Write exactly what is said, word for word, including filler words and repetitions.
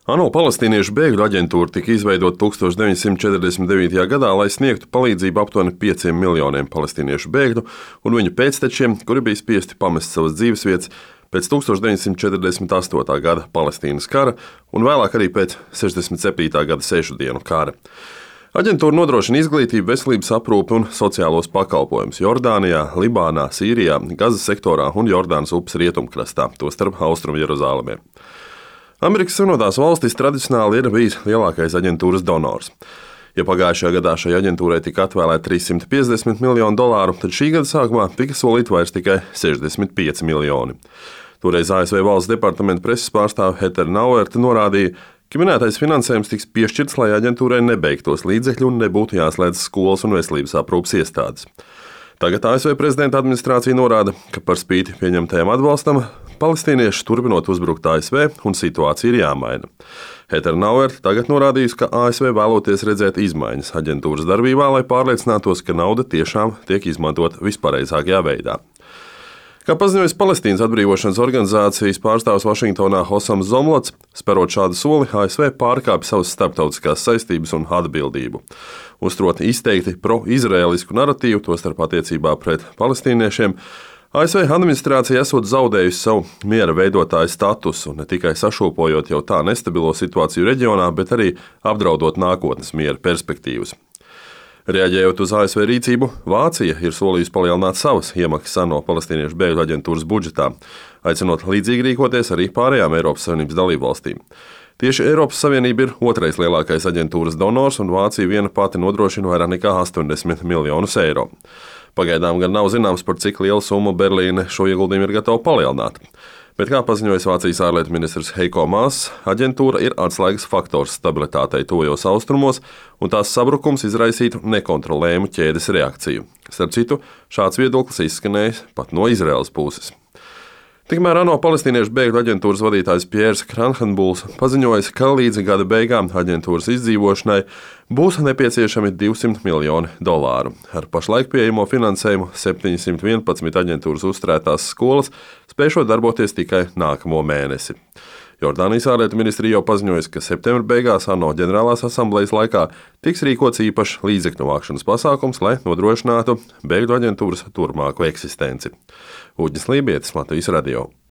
ANO Palestīniešu bēgļu aģentūra tika izveidota tūkstoš deviņsimt četrdesmit devītajā gadā, lai sniegtu palīdzību aptuveni pieciem miljoniem palestīniešu bēgļu un viņu pēctečiem, kuri bija spiesti pamest savas dzīvesvietas pēc tūkstoš deviņsimt četrdesmit astotā gada Palestīnas kara un vēlāk arī pēc sešdesmit septītā gada sešu dienu kara. Aģentūra nodrošina izglītību, veselības aprūpi un sociālos pakalpojumus Jordānijā, Libānā, Sīrijā, Gazas sektorā un Jordānas upes rietumkrastā, tostarp Austrumu Jeruzālēmē. Amerikas Savienotās valstis tradicionāli ir bijis lielākais aģentūras donors. Ja pagājušajā gadā šai aģentūrai tika atvēlēti trīssimti piecdesmit miljoni dolāru, tad šī gada sākumā tika solīti vairs tikai sešdesmit pieci miljoni. Toreiz A S V valsts departamenta preses pārstāve Heather Nauert norādīja, ka minētais finansējums tiks piešķirts, lai aģentūrai nebeigtos līdzekļi un nebūtu jāslēdz skolas un veselības aprūpes iestādes. Tagad A S V prezidenta administrācija norāda, ka par spīti pieņemtajam atbalstam palestīnieši turpinot uzbrukt A S V un situācija ir jāmaina. Heather Nauert tagad norādījusi, ka A S V vēloties redzēt izmaiņas aģentūras darbībā, lai pārliecinātos, ka nauda tiešām tiek izmantot vispareizākajā veidā. Kā paziņojas Palestīnas atbrīvošanas organizācijas pārstāvis Vašingtonā Hosams Zomlots, sperot šādu soli, A S V pārkāpj savas starptautiskās saistības un atbildību. Uzturot izteikti pro-izraēlisku naratīvu, tostarp attiecībā pret palestīniešiem, A S V administrācija esot zaudējusi savu miera veidotāju statusu, ne tikai sašūpojot jau tā nestabilo situāciju reģionā, bet arī apdraudot nākotnes miera perspektīvas. Reaģējot uz A S V rīcību, Vācija ir solījusi palielināt savas iemaksas ANO Palestīniešu bēgļu aģentūras budžetā, aicinot līdzīgi rīkoties arī pārējām Eiropas Savienības dalībvalstīm. Tieši Eiropas Savienība ir otrais lielākais aģentūras donors, un Vācija viena pati nodrošina vairāk nekā astoņdesmit miljonus eiro. Pagaidām gan nav zināms, par cik lielu summu Berlīne šo ieguldījumu ir gatava palielināt. Bet, kā paziņoja Vācijas ārlietu ministrs Heiko Maas, aģentūra ir atslēgas faktors stabilitātei tuvajos austrumos, un tās sabrukums izraisītu nekontrolējumu ķēdes reakciju. Starp citu, šāds viedoklis izskanējis pat no Izraēlas puses. Tikmēr ANO Palestīniešu bēgļu aģentūras vadītājs Pjērs Kranhenbuls paziņoja, ka līdz gada beigām aģentūras izdzīvošanai būs nepieciešami divsimt miljoni dolāru. Ar pašlaik pieejamo finansējumu septiņsimt vienpadsmit aģentūras uzturētās skolas spēšot darboties tikai nākamo mēnesi. Jordānijas ārlietu ministrija jau paziņojusi, ka septembra beigās ANO ģenerālās asamblejas laikā tiks rīkots īpašs līdzekļu vākšanas pasākums, lai nodrošinātu bēgļu aģentūras turpmāko eksistenci. Uģis Lībietis, Latvijas radio.